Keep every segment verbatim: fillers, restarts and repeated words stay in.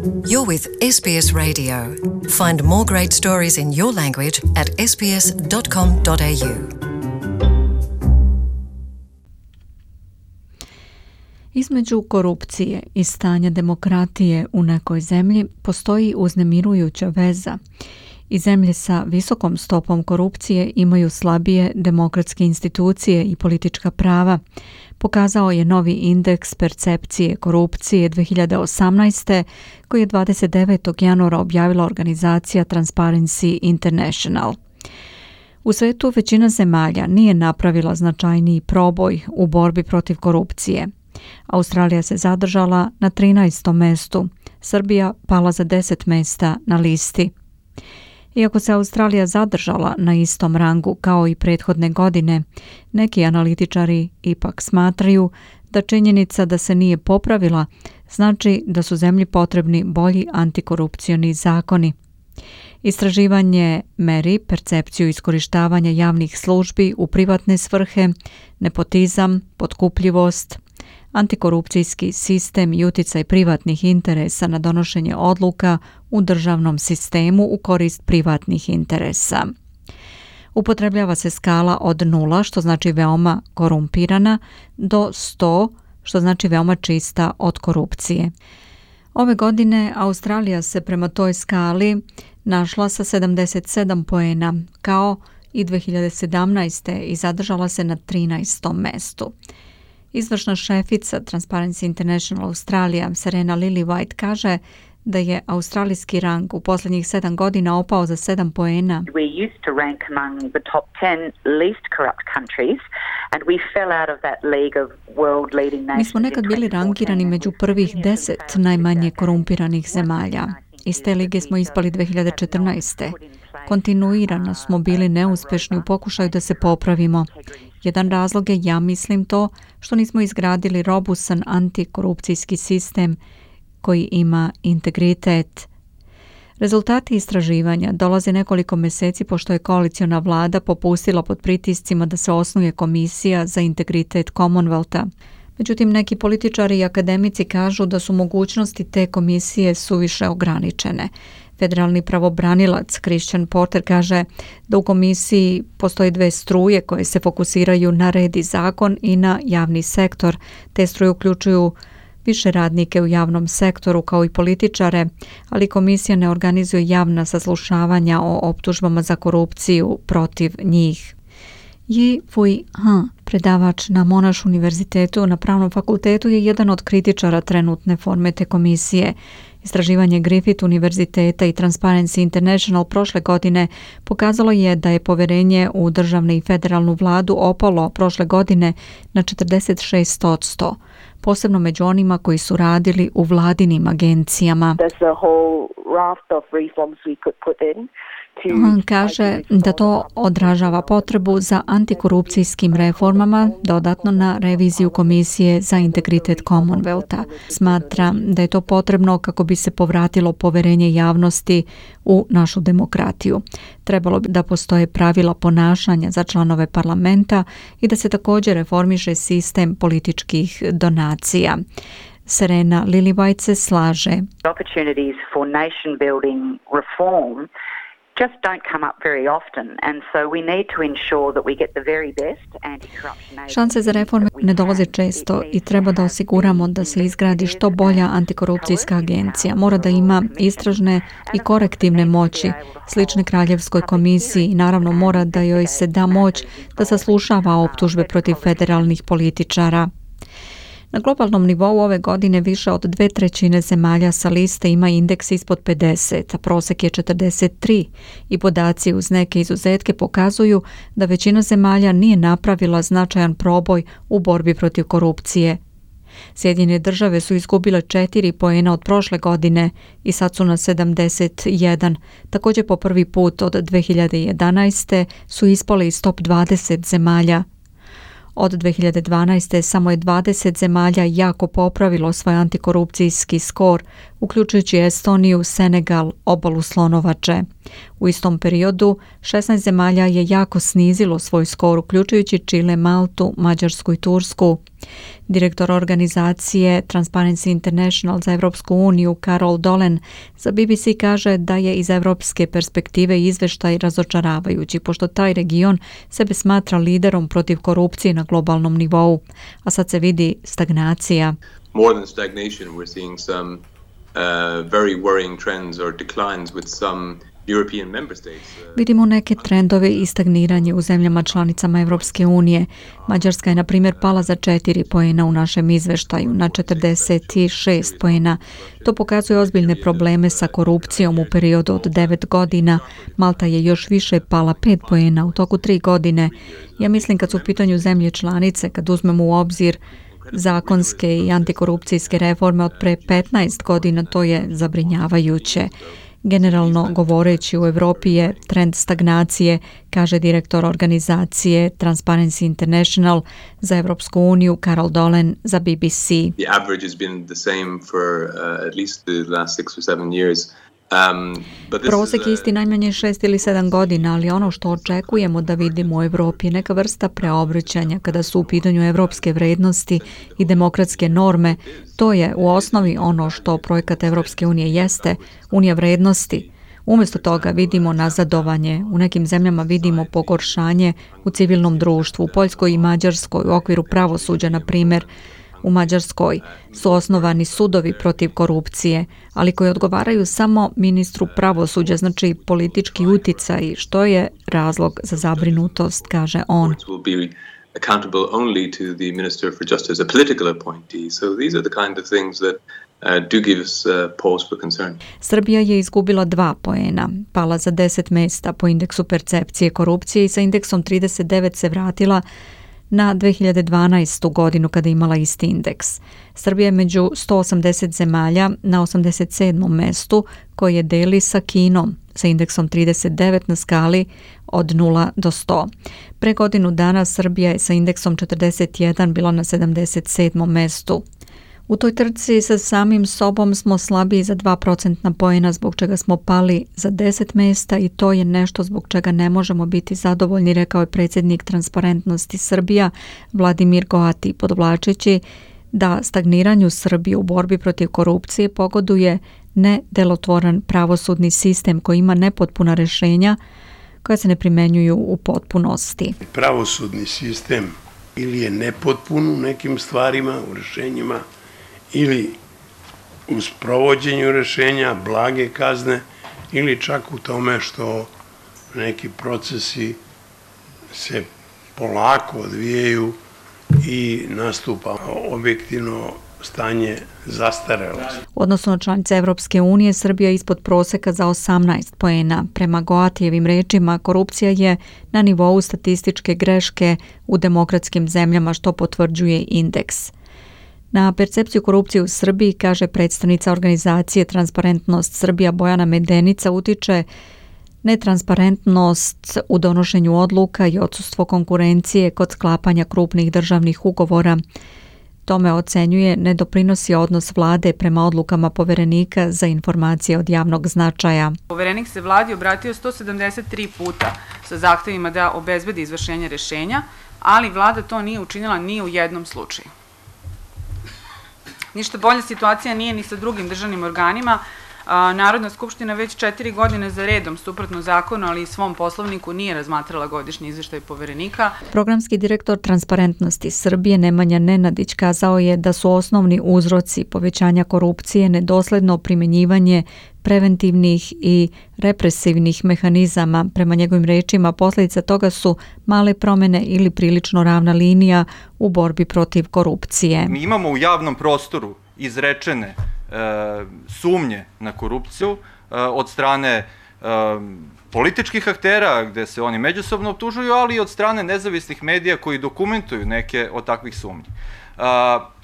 You're with S B S Radio. Find more great stories in your language at s b s dot com dot a u. Između korupcije i stanja demokratije u nekoj zemlji postoji uznemirujuća veza i zemlje sa visokom stopom korupcije imaju slabije demokratske institucije i politička prava, pokazao je novi indeks percepcije korupcije dve hiljade osamnaeste koji je dvadeset devetog januara objavila organizacija Transparency International. U svetu većina zemalja nije napravila značajniji proboj u borbi protiv korupcije. Australija se zadržala na trinaestom mestu, Srbija pala za deset mesta na listi. Iako se Australija zadržala na istom rangu kao i prethodne godine, neki analitičari ipak smatraju da činjenica da se nije popravila znači da su zemlji potrebni bolji antikorupcioni zakoni. Istraživanje meri percepciju iskorištavanja javnih službi u privatne svrhe, nepotizam, potkupljivost, antikorupcijski sistem i utjecaj privatnih interesa na donošenje odluka u državnom sistemu u korist privatnih interesa. Upotrebljava se skala od nula, što znači veoma korumpirana, do sto, što znači veoma čista od korupcije. Ove godine Australija se prema toj skali našla sa sedamdeset sedam poena, kao i dve hiljade sedamnaeste i zadržala se na trinaestom mestu. Izvršna šefica Transparency International Australija, Serena Lillywhite, kaže da je australijski rang u posljednjih sedam godina opao za sedam poena. We used to rank among the top ten least corrupt countries and we fell out of that league of world leading nations. Mi smo nekad bili rangirani među prvih deset najmanje korumpiranih zemalja. Iz te lige smo ispali dve hiljade četrnaeste. Kontinuirano smo bili neuspješni u pokušaju da se popravimo. Jedan razlog je, ja mislim, to što nismo izgradili robusan antikorupcijski sistem koji ima integritet. Rezultati istraživanja dolaze nekoliko mjeseci pošto je koaliciona vlada popustila pod pritiscima da se osnuje komisija za integritet Commonwealtha. Međutim, neki političari i akademici kažu da su mogućnosti te komisije suviše ograničene. Federalni pravobranilac Christian Porter kaže da u komisiji postoje dve struje koje se fokusiraju na red i zakon i na javni sektor. Te struje uključuju više radnike u javnom sektoru kao i političare, ali komisija ne organizuje javna saslušavanja o optužbama za korupciju protiv njih. Yi Fui Han, predavač na Monash univerzitetu na Pravnom fakultetu, je jedan od kritičara trenutne forme te komisije. Istraživanje Griffith univerziteta i Transparency International prošle godine pokazalo je da je povjerenje u državnu i federalnu vladu opalo prošle godine na četrdeset šest posto, posebno među onima koji su radili u vladinim agencijama. On kaže da to odražava potrebu za antikorupcijskim reformama, dodatno na reviziju Komisije za integritet Commonwealtha. Smatra da je to potrebno kako bi se povratilo povjerenje javnosti u našu demokratiju. Trebalo bi da postoje pravila ponašanja za članove parlamenta i da se također reformiše sistem političkih donacija. Serena Lillywhite se slaže. Opportunities for nation building reform just don't come up very often, and so we need to ensure that we get the very best anti-corruption. Šanse za reforme ne dolaze često i treba da osiguramo da se izgradi što bolja antikorupcijska agencija. Mora da ima istražne i korektivne moći, slične Kraljevskoj komisiji, i naravno mora da joj se da moć da saslušava optužbe protiv federalnih političara. Na globalnom nivou ove godine više od dve trećine zemalja sa liste ima indeks ispod pedeset, a prosjek je četrdeset tri i podaci uz neke izuzetke pokazuju da većina zemalja nije napravila značajan proboj u borbi protiv korupcije. Sjedinjene države su izgubile četiri poena od prošle godine i sad su na sedamdeset jedan. Također po prvi put od dve hiljade jedanaeste su ispale iz top dvadeset zemalja. Od dve hiljade dvanaeste samo je dvadeset zemalja jako popravilo svoj antikorupcijski skor uključujući Estoniju, Senegal, obalu Slonovače. U istom periodu šesnaest zemalja je jako snizilo svoj skor, uključujući Čile, Maltu, Mađarsku i Tursku. Direktor organizacije Transparency International za Evropsku uniju Carol Dolan za B B C kaže da je iz evropske perspektive izveštaj razočaravajući, pošto taj region sebe smatra liderom protiv korupcije na globalnom nivou, a sad se vidi stagnacija. More than stagnation, we're seeing some uh, very worrying trends or declines with some European member states. Vidimo neke trendove i stagniranje u zemljama članicama Evropske unije. Mađarska je, na primjer, pala za četiri poena u našem izveštaju, na četrdeset šest poena. To pokazuje ozbiljne probleme sa korupcijom u periodu od devet godina. Malta je još više pala pet poena u toku tri godine. Ja mislim kad su u pitanju zemlje članice, kad uzmemo u obzir zakonske i antikorupcijske reforme od pre petnaest godina, to je zabrinjavajuće. Generalno govoreći u Evropi je trend stagnacije, kaže direktor organizacije Transparency International za Evropsku uniju Carol Dolan za B B C. The average has been the same for uh, at least the last six or seven years. Um, Prosek je isti najmanje šest ili sedam godina, ali ono što očekujemo da vidimo u Evropi je neka vrsta preobraćanja kada su u pitanju evropske vrednosti i demokratske norme. To je u osnovi ono što projekat Evropske unije jeste, unija vrednosti. Umjesto toga vidimo nazadovanje, u nekim zemljama vidimo pogoršanje u civilnom društvu, u Poljskoj i Mađarskoj, u okviru pravosuđa, na primjer. U Mađarskoj su osnovani sudovi protiv korupcije, ali koji odgovaraju samo ministru pravosuđa, znači politički uticaj, što je razlog za zabrinutost, kaže on. Accountable only to the Minister for Justice, a political appointee. So these are the kind of things that uh, do give us uh, pause for concern. Srbija je izgubila dva poena, pala za deset mesta po indeksu percepcije korupcije i sa indeksom trideset devet se vratila na dve hiljade dvanaestu. godinu kada je imala isti indeks. Srbija je među sto osamdeset zemalja na osamdeset sedmom mestu koje deli sa Kinom sa indeksom trideset devet na skali od nula do sto. Pre godinu dana Srbija je sa indeksom četrdeset jedan bila na sedamdeset sedmom mestu. U toj trci sa samim sobom smo slabiji za dva procentna poena, zbog čega smo pali za deset mesta i to je nešto zbog čega ne možemo biti zadovoljni, rekao je predsjednik Transparentnosti Srbija Vladimir Goati, podvlačeći da stagniranju Srbije u borbi protiv korupcije pogoduje nedelotvoran pravosudni sistem koji ima nepotpuna rješenja koja se ne primenjuju u potpunosti. Pravosudni sistem ili je nepotpun u nekim stvarima, u rješenjima, ili u sprovođenju rješenja, blage kazne, ili čak u tome što neki procesi se polako odvijaju i nastupa objektivno stanje zastarelosti. Odnosno na članice Evropske unije, Srbija je ispod proseka za osamnaest poena. Prema Goatijevim rečima, korupcija je na nivou statističke greške u demokratskim zemljama, što potvrđuje indeks. Na percepciju korupcije u Srbiji, kaže predstavnica organizacije Transparentnost Srbija Bojana Medenica, utiče netransparentnost u donošenju odluka i odsustvo konkurencije kod sklapanja krupnih državnih ugovora. Tome ocenjuje ne doprinosi odnos vlade prema odlukama poverenika za informacije od javnog značaja. Poverenik se vladi obratio sto sedamdeset tri puta sa zahtevima da obezbedi izvršenje rješenja, ali vlada to nije učinila ni u jednom slučaju. Ništa bolja situacija nije ni sa drugim državnim organima. Narodna skupština već četiri godine za redom, suprotno zakonu, ali i svom poslovniku, nije razmatrala godišnji izvještaj poverenika. Programski direktor Transparentnosti Srbije Nemanja Nenadić kazao je da su osnovni uzroci povećanja korupcije nedosledno primjenjivanje preventivnih i represivnih mehanizama. Prema njegovim rečima, posljedica toga su male promjene ili prilično ravna linija u borbi protiv korupcije. Mi imamo u javnom prostoru izrečene e, sumnje na korupciju e, od strane e, političkih aktera, gde se oni međusobno optužuju, ali i od strane nezavisnih medija koji dokumentuju neke od takvih sumnji. E,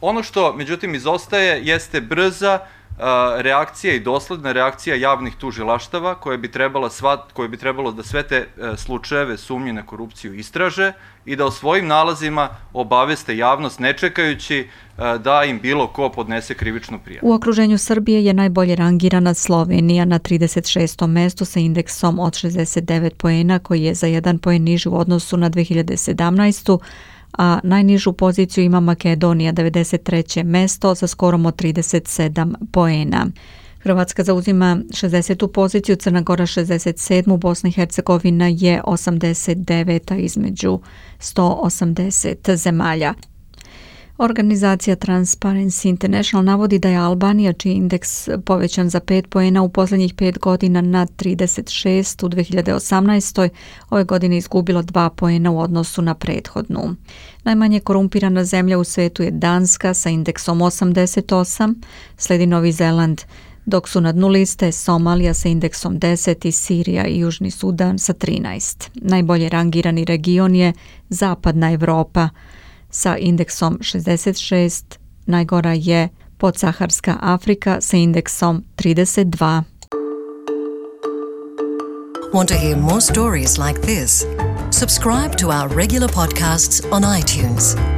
ono što, međutim, izostaje jeste brza, reakcija i dosledna reakcija javnih tužilaštava koje bi, trebala sva, koje bi trebalo da sve te slučajeve sumnje na korupciju istraže i da o svojim nalazima obaveste javnost ne čekajući da im bilo ko podnese krivičnu prijavu. U okruženju Srbije je najbolje rangirana Slovenija na trideset šestom mestu sa indeksom od šezdeset devet poena koji je za jedan poen niži u odnosu na dve hiljade sedamnaestu. a najnižu poziciju ima Makedonija, devedeset treće mesto sa skorom od trideset sedam poena. Hrvatska zauzima šezdesetu poziciju, Crna Gora šezdeset sedmu, Bosna i Hercegovina je osamdeset deveta između sto osamdeset zemalja. Organizacija Transparency International navodi da je Albanija, čiji indeks povećan za pet poena u posljednjih pet godina na trideset šest u dve hiljade osamnaestoj. ove godine izgubilo dva poena u odnosu na prethodnu. Najmanje korumpirana zemlja u svetu je Danska sa indeksom osamdeset osam, sledi Novi Zeland, dok su na dnu liste Somalija sa indeksom deset i Sirija i Južni Sudan sa trinaest. Najbolje rangirani region je Zapadna Evropa sa indeksom šezdeset šest, najgora je podsaharska Afrika sa indeksom trideset dva. Want to hear more stories like this? Subscribe to our regular podcasts on iTunes.